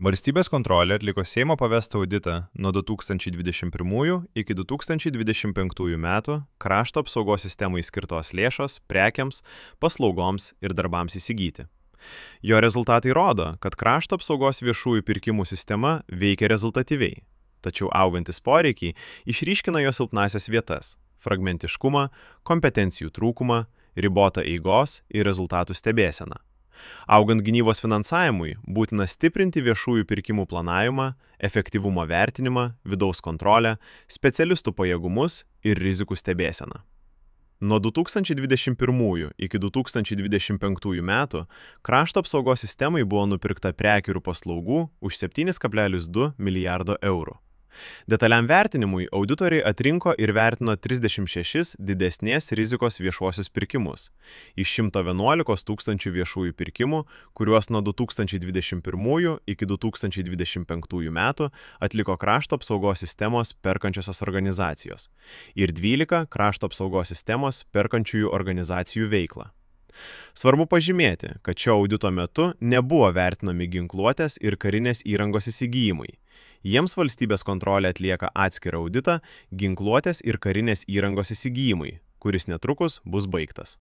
Valstybės kontrolė atliko Seimo pavestą auditą nuo 2021 iki 2025 metų krašto apsaugos sistemai skirtos lėšos prekiams, paslaugoms ir darbams įsigyti. Jo rezultatai rodo, kad krašto apsaugos viešųjų pirkimų sistema veikia rezultatyviai, tačiau augantis poreikiai išryškina jo silpnąsias vietas – fragmentiškumą, kompetencijų trūkumą, ribotą eigos ir rezultatų stebėseną. Augant gynybos finansavimui, būtina stiprinti viešųjų pirkimų planavimą, efektyvumo vertinimą, vidaus kontrolę, specialistų pajėgumus ir rizikų stebėseną. Nuo 2021 iki 2025 metų krašto apsaugos sistemai buvo nupirkta prekių ir paslaugų už 7,2 milijardo eurų. Detaliam vertinimui auditoriai atrinko ir vertino 36 didesnės rizikos viešuosius pirkimus iš 111 tūkstančių viešųjų pirkimų, kuriuos nuo 2021 iki 2025 metų atliko krašto apsaugos sistemos perkančiosios organizacijos ir 12 krašto apsaugos sistemos perkančiųjų organizacijų veiklą. Svarbu pažymėti, kad šio audito metu nebuvo vertinami ginkluotės ir karinės įrangos įsigijimai. Jiems valstybės kontrolė atlieka atskirą auditą ginkluotės ir karinės įrangos įsigijimai, kuris netrukus bus baigtas.